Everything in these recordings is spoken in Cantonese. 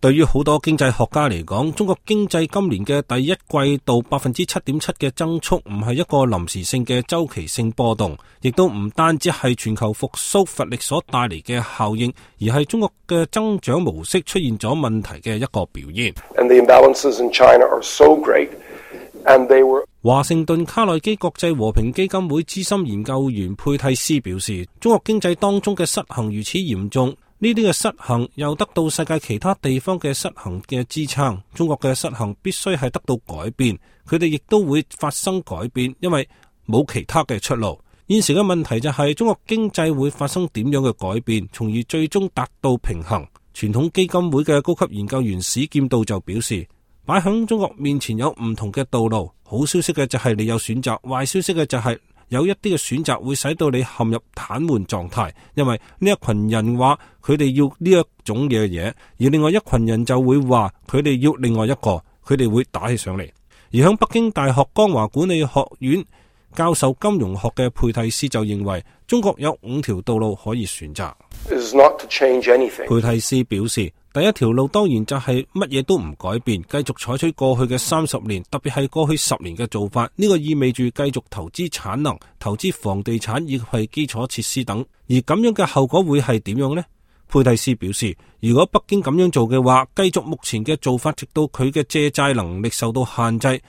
對於好多經濟學家嚟講，中國經濟今年嘅第一季度 7.7% 嘅增速唔係一個臨時性嘅周期性波動，亦都唔單止係全球復甦乏力所帶嚟嘅效應，而係中國嘅增長模式出現咗問題嘅一個表現。華盛頓卡內基國際和平基金會資深研究員佩蒂斯表示，中國經濟當中嘅失衡如此嚴重，呢啲嘅失衡又得到世界其他地方嘅失衡嘅支撐，中國嘅失衡必須係得到改變，佢哋亦都會發生改變，因為冇其他嘅出路。現時嘅問題就係中國經濟會發生點樣嘅改變，從而最終達到平衡。傳統基金會嘅高級研究員史劍道就表示，擺響中國面前有唔同嘅道路，好消息嘅就係你有選擇，壞消息嘅就係有一啲嘅選擇會使到你陷入癱瘓狀態，因為呢一群人話佢哋要呢一種嘢，而另外一群人就會話佢哋要另外一個，佢哋會打起上嚟。而響北京大學江華管理學院教授金融學嘅佩蒂斯就認為，中國有5條道路可以選擇。佩蒂斯表示，第一條路當然就係乜嘢都唔改變，繼續採取過去嘅30年，特別係過去10年嘅做法。呢個意味住繼續投資產能、投資房地產以及係基礎設施等。而咁樣嘅後果會係點樣呢？佩蒂斯表示，如果北京咁樣做嘅話，繼續目前嘅做法，直到佢嘅借債能力受到限制。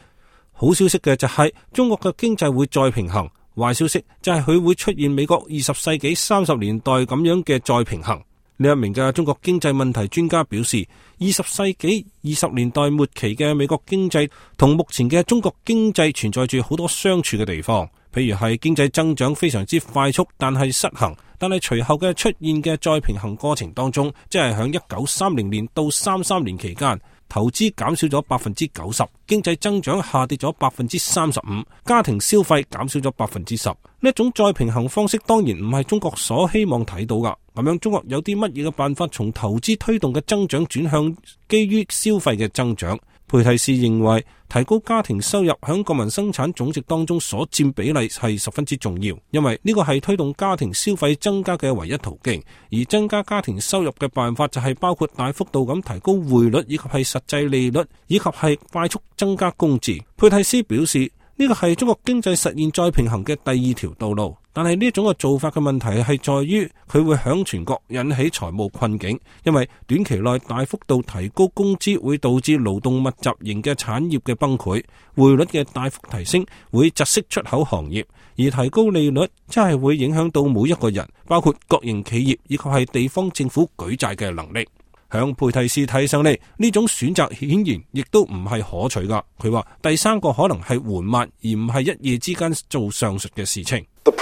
好消息嘅就係中國嘅經濟會再平衡，壞消息就係佢會出現美國20世紀30年代咁樣嘅再平衡。呢一名嘅中國經濟問題專家表示，20世紀20年代末期嘅美國經濟同目前嘅中國經濟存在住好多相處嘅地方，譬如係經濟增長非常之快速，但係失衡，但係隨後嘅出現嘅再平衡過程當中，即係響1930年到33年期間，投資減少咗 90%， 經濟增長下跌咗 35%， 家庭消費減少咗 10%。呢一種再平衡方式當然唔係中國所希望睇到噶。咁樣中國有啲乜嘢嘅辦法從投資推動嘅增長轉向基於消費嘅增長？佩蒂斯認為，提高家庭收入響國民生產總值當中所佔比例係十分之重要，因為呢個係推動家庭消費增加嘅唯一途徑。而增加家庭收入嘅辦法就係包括大幅度咁提高匯率，以及係實際利率，以及係快速增加工資。佩蒂斯表示，呢個係中國經濟實現再平衡嘅第2條道路，但係呢種嘅做法嘅問題係在於佢會響全國引起財務困境，因為短期內大幅度提高工資會導致勞動密集型嘅產業嘅崩潰，匯率嘅大幅提升會窒息出口行業，而提高利率真係會影響到每一個人，包括國營企業以及係地方政府舉債嘅能力。向佩蒂斯睇上嚟，呢種選擇顯然亦都唔係可取噶。佢話第3個可能係緩慢，而唔係一夜之間做上述嘅事情。佩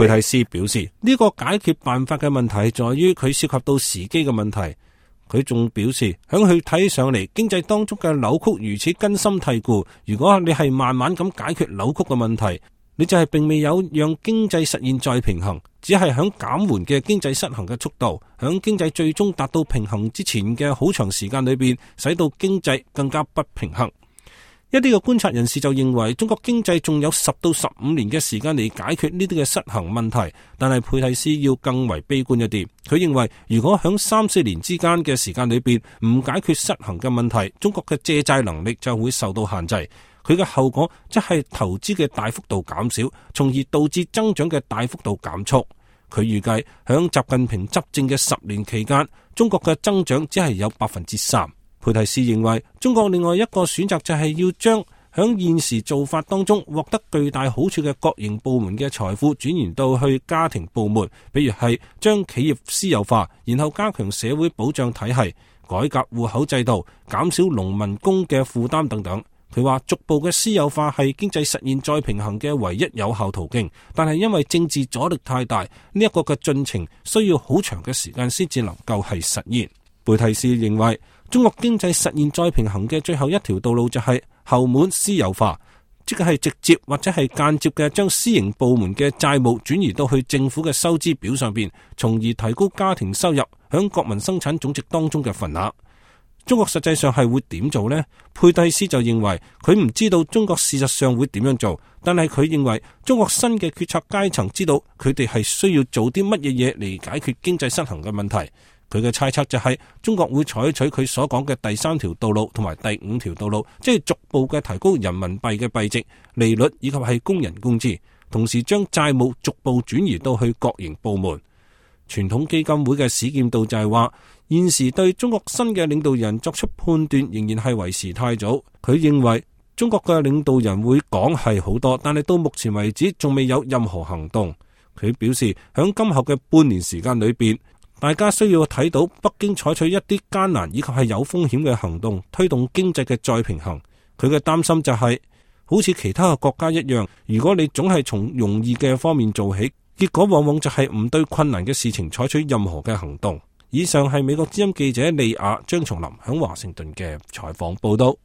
蒂斯表示，呢個解決辦法嘅問題在於佢涉及到時機嘅問題。佢仲表示，響佢睇上嚟，經濟當中嘅扭曲如此根深蒂固。如果你係慢慢咁解決扭曲嘅問題，你就係並未有讓經濟實現再平衡，只係響減緩嘅經濟失衡嘅速度，響經濟最終達到平衡之前嘅好長時間裏邊，使到經濟更加不平衡。一啲嘅觀察人士就認為，中國經濟仲有10到15年嘅時間嚟解決呢啲嘅失衡問題，但係佩蒂斯要更為悲觀一啲。佢認為，如果響3-4年之間嘅時間裏邊唔解決失衡嘅問題，中國嘅借債能力就會受到限制。佢嘅後果即係投資嘅大幅度減少，從而導致增長嘅大幅度減速。佢預計響習近平執政嘅10年期間，中國嘅增長只係有 3%。佩蒂斯認為，中國另外一個選擇就係要將響現時做法當中獲得巨大好處嘅國營部門嘅財富轉移到去家庭部門，比如係將企業私有化，然後加強社會保障體系，改革戶口制度，減少農民工嘅負擔等等。佢話逐步嘅私有化係經濟實現再平衡嘅唯一有效途徑，但係因為政治阻力太大，呢一個嘅進程需要好長嘅時間先至能夠係實現。貝蒂斯認為，中國經濟實現再平衡嘅最後一條道路就係後門私有化，即係直接或者係間接嘅將私營部門嘅債務轉移到去政府嘅收支表上邊，從而提高家庭收入響國民生產總值當中嘅份額。中國實際上係會點做呢？佩蒂斯就認為佢唔知道中國事實上會點樣做，但係佢認為中國新嘅決策階層知道佢哋係需要做啲乜嘢嘢嚟解決經濟失衡嘅問題。佢嘅猜測就係中國會採取佢所講嘅第3條道路同埋第5條道路，即係逐步嘅提高人民幣嘅幣值、利率以及係工人工資，同時將債務逐步轉移到去國營部門。傳統基金會嘅史劍道就係話，現時對中國新嘅領導人作出判斷仍然係為時太早。佢認為中國嘅領導人會講係好多，但係到目前為止仲未有任何行動。佢表示響今後嘅半年時間裏邊，大家需要睇到北京採取一啲艱難以及係有風險嘅行動，推動經濟嘅再平衡。佢嘅擔心就係，好似其他嘅國家一樣，如果你總係從容易嘅方面做起，結果往往就係唔對困難嘅事情採取任何嘅行動。以上係美國之音記者利亞張松林響華盛頓嘅採訪報道。